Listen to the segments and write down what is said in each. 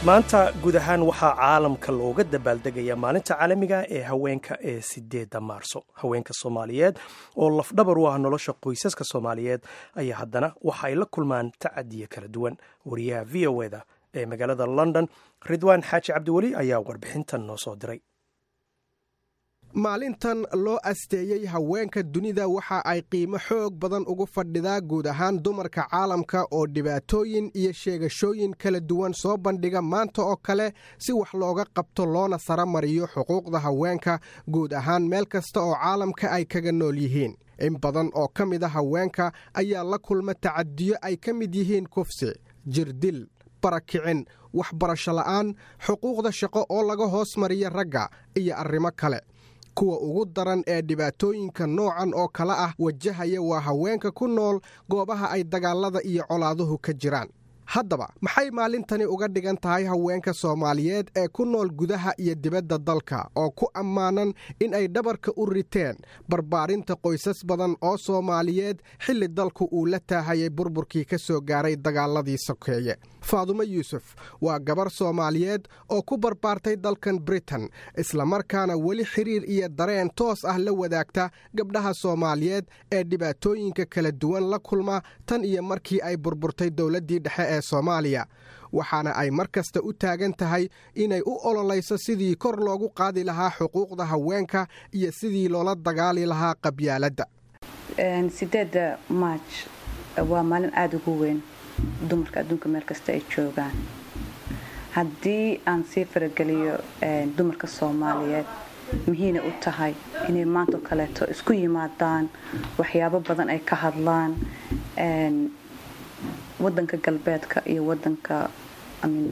Maanta guud ahaan waxaa caalamka looga dabaaldegaya Maalinta Caalamiga ee Haweenka ee 8-da Maarso. Haweenka Soomaaliyeed oo lafdhabar u ah nolosha qoysaska Soomaaliyeed ayaa haddana waxa ay la kulmaan tacadiyo kala duwan. Wariyaha VOA-da ee magaalada London, Ridwaan Xaaji Cabdiweli, ayaa warbixintan noo soo diray. Maalintan loo asteeyey haweenka dunida waxa ay qiimo xoog badan ugu fadhidaa guud ahaan dumarka caalamka oo dhibaatooyin iyo sheegashooyin kala duwan soo bandhiga maanta oo kale, si wax looga qabto loona saramariyo xuquuqda haweenka guud ahaan meel kasta oo caalamka ay kaga nool yihiin. In badan oo ka mid a haweenka ayaa la kulma tacadiyo ay ka mid yihiin kufsi, jirdil, barakicin, waxbarasho la'aan, xuquuqda shaqo oo laga hoos mariya ragga iyo arrimo kale. Kuwa ugu daran ee dhibaatooyinka noocan oo kale ah wajahaya waa haweenka ku nool goobaha ay dagaalada iyo colaaduhu ka jiraan. Haddaba, maxay maalintani uga dhigan tahay haweenka Soomaaliyeed ee ku nool gudaha iyo dibadda dalka oo ku ammaanan in ay dhabarka u riteen barbaarinta qoysas badan oo Soomaaliyeed xilli dalku uu la taahayay burburkii ka soo gaaray dagaaladii sokeeye? Faadumo Yuusuf waa gabar Soomaaliyeed oo ku barbaartay dalkan Britain, islamarkaana weli xiriir iyo dareen toos ah la wadaagta gabdhaha Soomaaliyeed ee dhibaatooyinka kala duwan la kulma tan iyo markii ay burburtay dowladdii dhexe ee Soomaaliya. Waxaana ay mar kasta u taagan tahay inay u ololayso sidii kor loogu qaadi lahaa xuquuqda haweenka iyo sidii loola dagaali lahaa qabyaaladda. 8-da March waa maalin aada ugu weyn dumarka adduunka meel kasta ay joogaan. Haddii aan sii farageliyo, dumarka Soomaaliyeed muhiina u tahay inay maantao kaleeto isku yimaadaan, waxyaabo badan ay ka hadlaan. Wadanka galbeedka iyo wadanka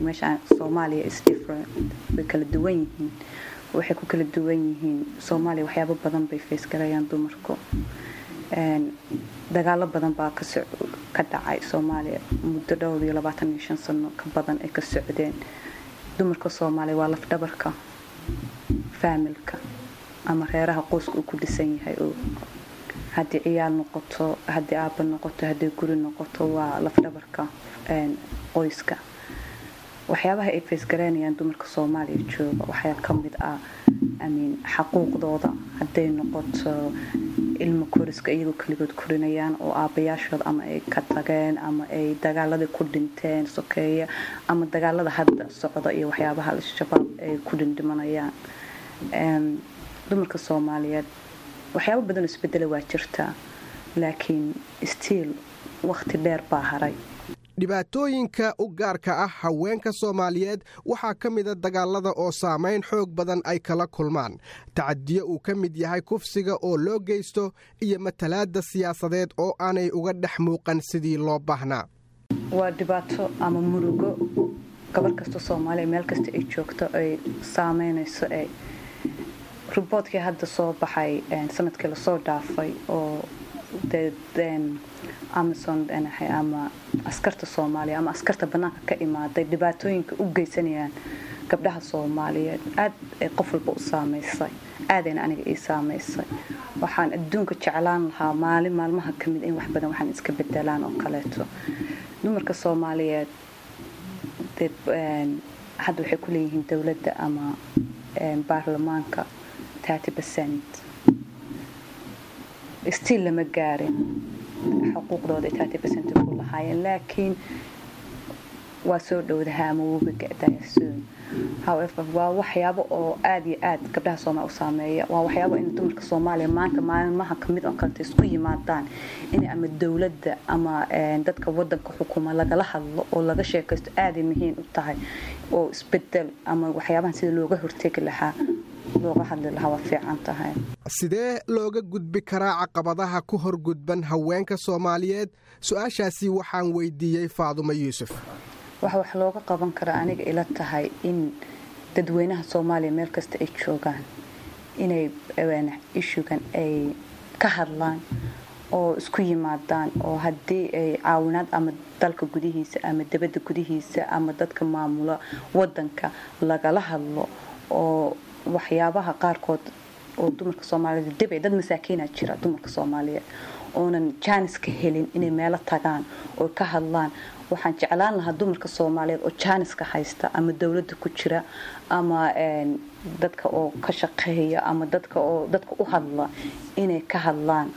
meesha Soomaaliya is different, way kala duwan yihiin. Waxay ku kala duwan yihiin, Soomaaliya waxyaabo badan bay face garayaan dumarku. Dagaalo badan baa ka dhacay Soomaaliya muddo dhowr iyo 25 sano ka badan ay ka socdeen. Dumarka Soomaaliya waa lafdhabarka faamilka ama reeraha qoyska uu ku dhisan yahay, oo haddii ciyaal noqoto, haddii aaba noqoto, haddii guri noqoto, waa lafdhabarka qoyska. Waxyaabaha ay face garaynayaan dumarka Soomaaliya jooga waxaa ka mid ah xaquuqdooda, hadday noqoto ilmo koriska iyagoo keligood korinayaan oo aabbayaashood ama ay ka tageen ama ay dagaaladii ku dhinteen sokeeye ama dagaalada hadda socda iyo waxyaabaha Al-Shabaab ay ku dhindhimanayaan. Dumarka Soomaaliyeed waxyaabo badan oo isbedela waa jirtaa, laakiin still waqti dheer baa haray. Dhibaatooyinka u gaarka ah haweenka Soomaaliyeed waxaa ka mida dagaalada oo saamayn xoog badan ay kala kulmaan, tacadiyo uu ka mid yahay kufsiga oo loo geysto iyo matalaadda siyaasadeed oo aanay uga dhex muuqan sidii loo baahnaa. Waa dhibaato ama murugo gabar kasta Soomaaliya meel kasta ay joogto ay saameynayso. Ee reportkii hadda soo baxay sanadkii lasoo dhaafay oo AMISOM ama askarta Soomaaliya ama askarta banaanka ka imaaday dhibaatooyinka u geysanayaan gabdhaha Soomaaliyeed aad ay qof walba u saameysay, aadayna aniga ii saameysay. Waxaan adduunka jeclaan lahaa maalin maalmaha ka mid in wax badan waxaan iska bedelaan oo kaleeto. Dumarka Soomaaliyeed hadda waxay ku leeyihiin dowladda ama baarlamaanka 30%. Still lama gaarin xuquuqdooda 30% ku lahaayeen, laakiin waa soo dhowdaha ama wuuba ga'daya soon. However, waa waxyaabo oo aada iyo aad gabdhaha Soomaaliya u saameeya. Waa waxyaabo in dumarka Soomaaliya maanta maalmaha kamid oo kaleta isku yimaadaan, in ama dowladda ama dadka wadanka xukuma lagala hadlo oo laga sheekaysto aaday muhiim u tahay, oo isbedel ama waxyaabahan sida looga hortegi lahaa looga hadli lahaa waa fiican tahay. Sidee looga gudbi karaa caqabadaha ku hor gudban haweenka Soomaaliyeed? Su-aashaasi waxaan weydiiyey Faadumo Yuusuf. Waxa wax looga qaban karaa aniga ila tahay in dadweynaha Soomaaliya meel kasta ay joogaan inay issuegan ay ka hadlaan oo isku yimaadaan, oo haddii ay caawinaad ama dalka gudihiisa ama dibadda gudihiisa ama dadka maamula wadanka lagala hadlo, oo waxyaabaha qaarkood oo dumarka Soomaaliyeed dib ay dad masaakiina jira dumarka Soomaaliyeed oonan jaaniska helin inay meelo tagaan oo ka hadlaan. Waxaan jeclaan lahaa dumarka Soomaaliyeed oo jaaniska haysta, ama dowladda ku jira, ama dadka oo ka shaqeeya, ama dadka oo dadka u hadla, inay ka hadlaan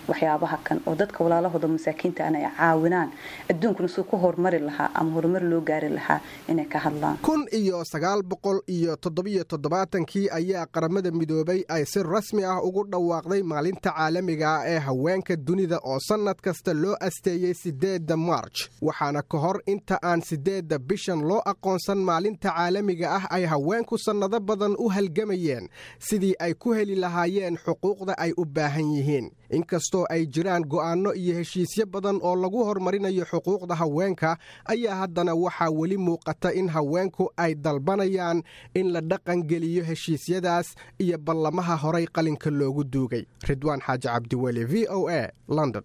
waxyaabaha kan oo dadka walaalahooda masaakiinta ana ay caawinaan, adduunkuna suu ku horumari lahaa ama horumar loo gaari lahaa inay ka hadlaan. 1977kii ayaa Qaramada Midoobay ay si rasmi ah ugu dhawaaqday maalinta caalamiga ah ee haweenka dunida, oo sannad kasta loo asteeyey 8da Maarj. Waxaana ka hor inta aan 8da bishan loo aqoonsan maalinta caalamiga ah ay haweenku sannado badan u halgamayeen sidii ay ku heli lahaayeen xuquuqda ay u baahan yihiin. Inkastoo ay jiraan go'aanno iyo heshiisyo badan oo lagu horumarinayo xuquuqda haweenka, ayaa haddana waxaa weli muuqata in haweenku ay dalbanayaan in la dhaqangeliyo heshiisyadaas iyo ballamaha horay qalinka loogu duugay. Ridwaan Xaaji Cabdiweli, VOA, London.